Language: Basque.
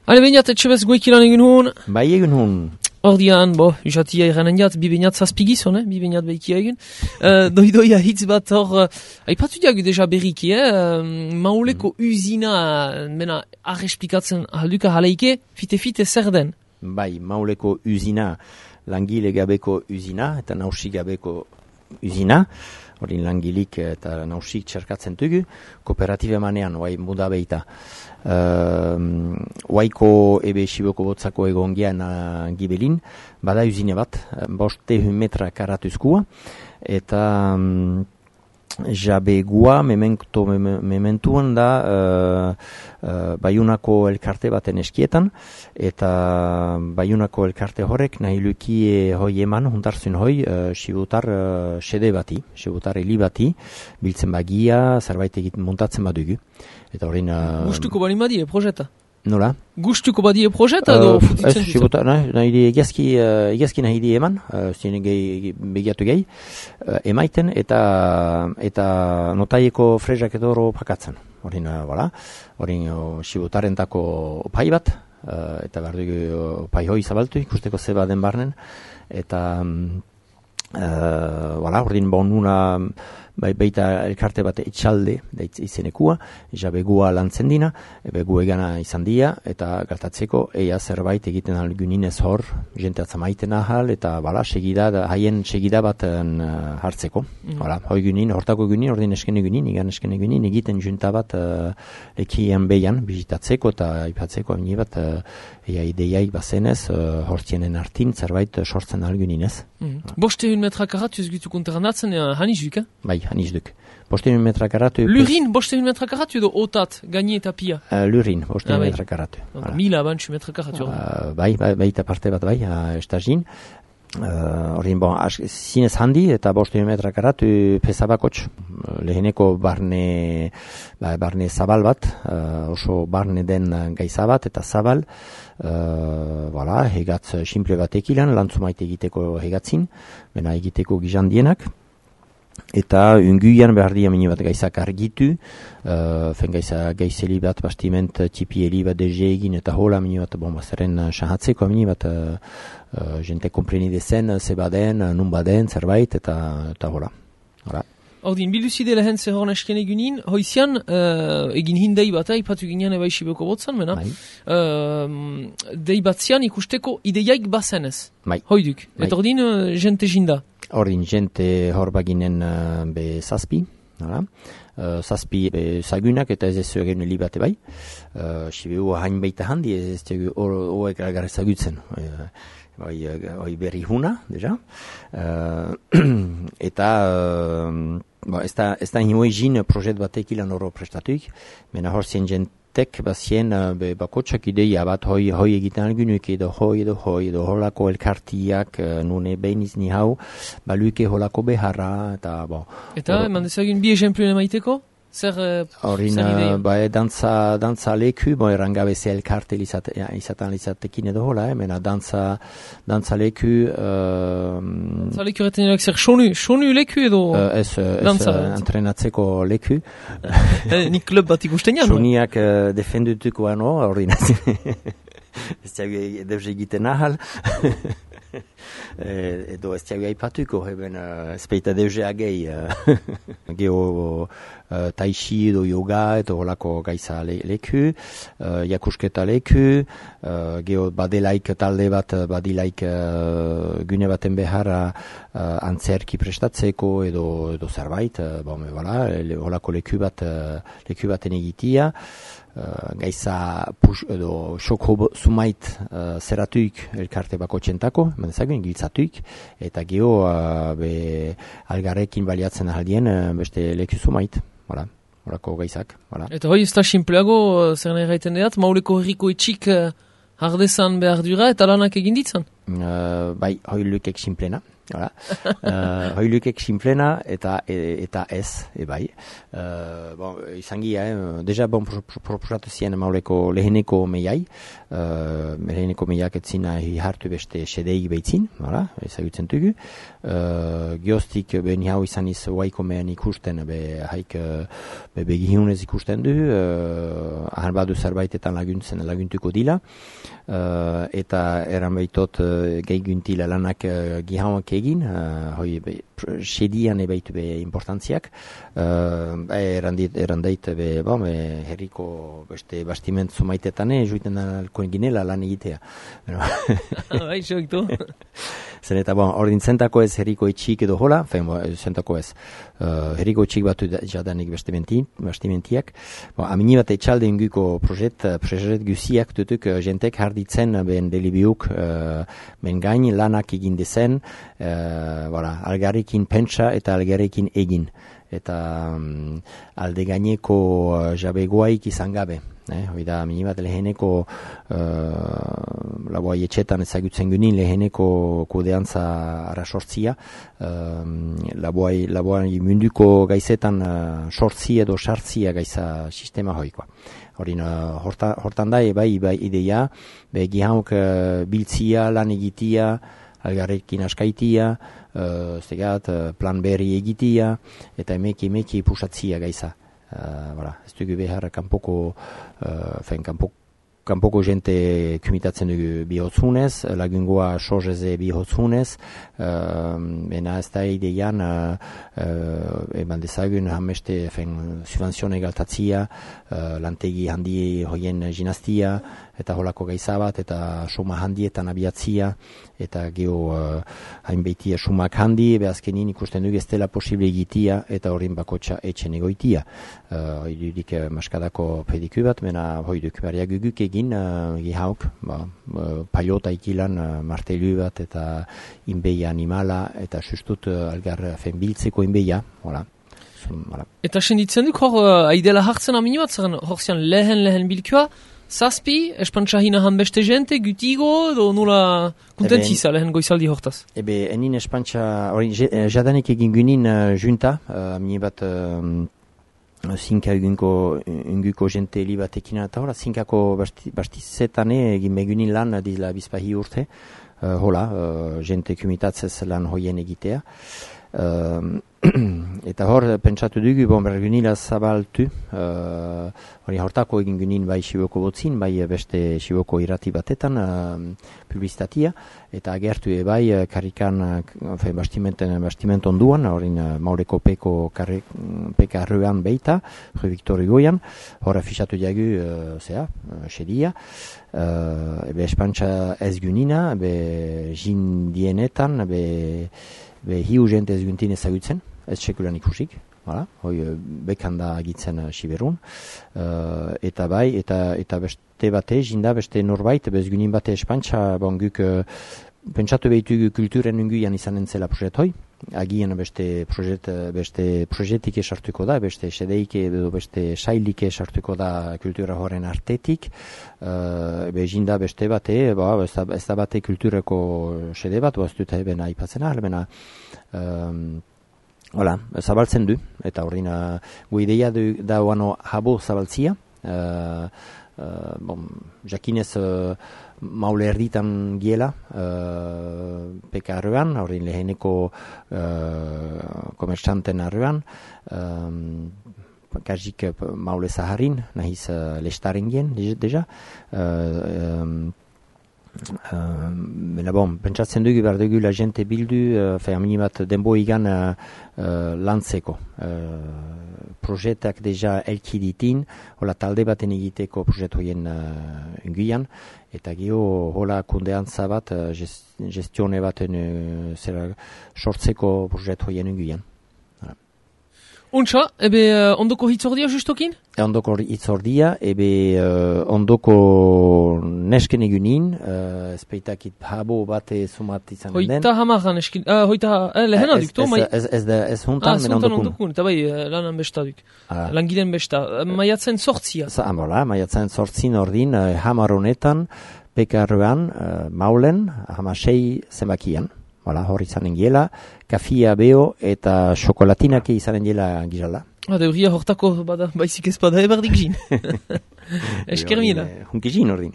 Hale, bainat, etxebez goikilan egin hon. Bai egin hon. Ordian, usatia iranen jat, bi bainat zazpigizon, bi bainat behikia egin. Doidoia hitz bat hor, aipatu diagu deja berriki, mauleko usina, mena, arrespikatzen halduka haleike, fite zer den? Bai, mauleko usina, langile gabeko usina, eta nausi gabeko usina, hori langilik eta nausik txerkatzen dugu, kooperatibe manean, oai muda behita. Oaiko ebe xiboko botzako egongian gibelin, bada usine bat, 500 metra karatuzkua, eta jabegua mementuan da Baiunako elkarte baten eskietan, eta Baiunako elkarte horrek nahi luki hoi eman, huntarzun hoi, sibutar sede bati, sibutar heli bati, biltzen bagia, zerbait egiten montatzen badugu. Eta horrein... Gustuko bali badie, projeta? Nola? Gustuko badie projeta edo futitzen dut? Sibutar, nahi egazki nahi di eman, zinen begiatu gehi, emaiten eta notaieko frezak edo horo pakatzen. Horrein sibutarentako opai bat, eta behar dugu opai hoi zabaltu, ikusteko zeba den barnen, eta horrein bonuna baita elkarte bat etxalde izenekua, jabegua lantzen dina, begu egana izan dia, eta gertatzeko eia zerbait egiten algunin ez hor, jente atzamaiten ahal, eta haien segida bat hartzeko. Hoi gunin, hortako gunin, ordin eskene gunin, igan eskene gunin, egiten junta bat ekien behian, bizitatzeko eta aipatzeko amini bat eia ideiaik bazenez, hortzienen artin zerbait sortzen algunin ez. 500 metra karatuz gitu konteranatzen, hanizuk, Bai, hanizduk. 500 metra karatu... Lurin, 500 metra karatu edo otat, gaini eta pia? Lurin, 500 metra karatu. 1000 metra karatu. Bai, eta parte bat bai, estazin. Horrein, zinez handi eta 500 metra karatu pesabakotx. Leheneko barne zabal bat, oso barne den gaiza bat eta zabal. Hegatz simple bat ekilan, lantzumaite egiteko hegatzin, bena egiteko gizandienak. Eta unguian behar di amini bat gaizak argitu, gaizeli bat bastiment tipieli bat dege egin eta hola amini bat zerren sahatzeko amini bat jente komprenide zen, zebaden, nunbaden, zerbait eta hola. Ordin, bilduzide lehen zehorn esken egunin, hoizian egin hindei bat, ipatu ginean eba isibeko botzan, mena, dei batzian ikusteko ideiaik bazenez, hoiduk, eta ordin jente jinda. Ordin, jente hor baginen be zazpi, zazpi zagunak eta ez ez egin libate bai, sibeu hain baita handi ez ez hoek agar zagutzen. Hoi berri huna, deja. Eta ez da hinoi jin projet batek ilan oro prestatuik, mena hor zien jentek bazien bakotsak ideia bat hoi egiten algunuk edo holako elkartiak nune behiniz ni hau, baluike holako beharra eta bo. Eta eman dezagin bi esempluen emaiteko? Zer ideia? Dantza leku, errangabe ze elkarte izatan lizatekin edo hola, mena dantza leku... Dantza leku retenerak zer sonu leku edo? Ez entrenatzeko leku. Nik klub bat ikusten jan? Soniak defendutuko ano, ez tiago deuze egiten ahal. Edo ez tiago aipatuko, ezpeita deuze agei. Geo taishi edo yoga edo holako gaiza leku, jakusketa leku, geo badelaik talde bat, badilaik gune baten beharra antzerki prestatzeko edo zerbait, holako leku baten egitia, gaiza edo xoko zumait zeratuik elkarte bako txentako, mendezagun, giltzatuik, eta geo algarrekin baliatzen ahaldien beste leku zumait. Horako gaizak. Eta hoi ez da simpleago, zer nahi gaiten deat, mauleko herriko etxik hardezan behar dura eta lanak egin ditzan? Bai, hoi lukek simplena. Hala, hoilukek sinplena eta ez, bai. Izangia, deja proposatu zien mauleko leheneko meiai, leheneko meiak etzina hartu beste sedei behitzin, ezagutzen dugu. Gioztik beni hau izaniz waiko mehan ikusten, haik begihunez ikusten du, ahan badu zerbaitetan laguntuko dila, eta eran baitot gehiuntila lanak gihauak egin, sedian ebaitu be importantziak, erandait herriko beste bastiment zumaitetan juiten alkoen ginela lan egitea. Bai, xoktu. Zen eta ordin zentako ez herriko etxik edo hola, zentako ez herriko etxik batu jadanik bastimentiak. Amini bat etxalde inguko projet guziak dutuk jentek harditzen ben delibiuk ben gain lanak egin dezen, algarrekin pentsa eta algarrekin egin. Eta alde gaineko jabegoaik izan gabe. Hoida, minibat leheneko laboai etxetan ezagutzen gunin leheneko kodeantza arasortzia, laboai munduko gaizetan sortzi edo sartzia gaiza sistema hoikoa. Hortan da, bai ideia, gihauk biltzia, lan egitia, algarrekin askaitia, plan berri egitia, eta emeki pusatzia gaiza. Ez dugu behar kanpoko jente kumitatzen dugu bihotzunez, lagungoa sozeze bihotzunez, bena ez da ideian eman dezagun hameste subvenzione galtatzia, lantegi handi hoien ginastia, eta holako gaizabat, eta suma handietan abiatzia, eta geho hainbeitia sumak handi, behazkenin ikusten dugu ez dela posible egitia, eta horrin bakotxa etxen egoitia. Hoidudik maskadako pediku bat, mena hoiduk bariak guguk egin, gihauk, paiota ikilan martelu bat, eta inbeia animala, eta sustut algar biltzeko inbeia, hola. Eta senditzen duk hor, aidela hartzen amini bat, zaren horzian lehen bilkua, zazpi, espantxahina han beste jente, gutigo, edo nula kontentisa lehen goizaldi hortaz? Enin espantxa, jadanik egin gunin junta, amini bat zinka unguko jente li batekin eta hola, zinkako bastizetan egin megunin lan dizla bizpahi urte, jente kumitatzez lan hoien egitea. Eta hor pentsatu dugu bergunila zabaltu, hori hortako egin gunin bai Siboko botzin, bai beste Siboko irrati batetan publizitatia, eta agertu bai karikan bastiment onduan, horin maureko peka arruan beita, Victori Goian, hor afixatu jagu sedia, espantxa ez gunina, jindienetan, hiu jente ez guntin ezagutzen, ez sekulan ikusik, bekanda agitzen Siberun, eta bai, eta beste bate, jinda beste norbait, bez gunin bate espantxa, guk pentsatu behitugu kulturen unguian izanen zela projet hoi, agian beste projetik esartuko da, beste sedeik edo beste sailik esartuko da kultura horren artetik, jinda beste bate, ez da bate kultureko sede bat, ez dut eben aipatzen ahal, zabaltzen du, eta horrin gu ideia da oano habo zabaltzia, jakinez maule erditan giela peka arruan, horrin leheneko komertxanten arruan, kajik maule zaharin, nahiz lestaren gien, deja. Pentsatzen dugu behar dugu la jente bildu, aminibat denbo igan lantzeko. Projetak deja elkiditin, hola talde baten egiteko projet hoien unguian, eta geho hola kundeantza bat, gestione baten sortzeko projet hoien unguian. Untxa, ondoko hitzordia justokin? Ondoko hitzordia, ondoko nesken egunin, espeitakit habo bate sumat izan den. Hoita hamaran eskin, lehena duk, to? Ez huntan, mena ondokun. Eta bai, lanan besta duk. Langilen besta. Maiatzen sortzia. Maiatzen sortzin ordin, hamaronetan, pekarruan, maulen, hamasei zenbakian. hor izanen giela, kafia beho eta xokolatinak izanen giela gizala. Deuria hortako baizik ez bada eberdik zin. Esker mila. Hunkizin ordin.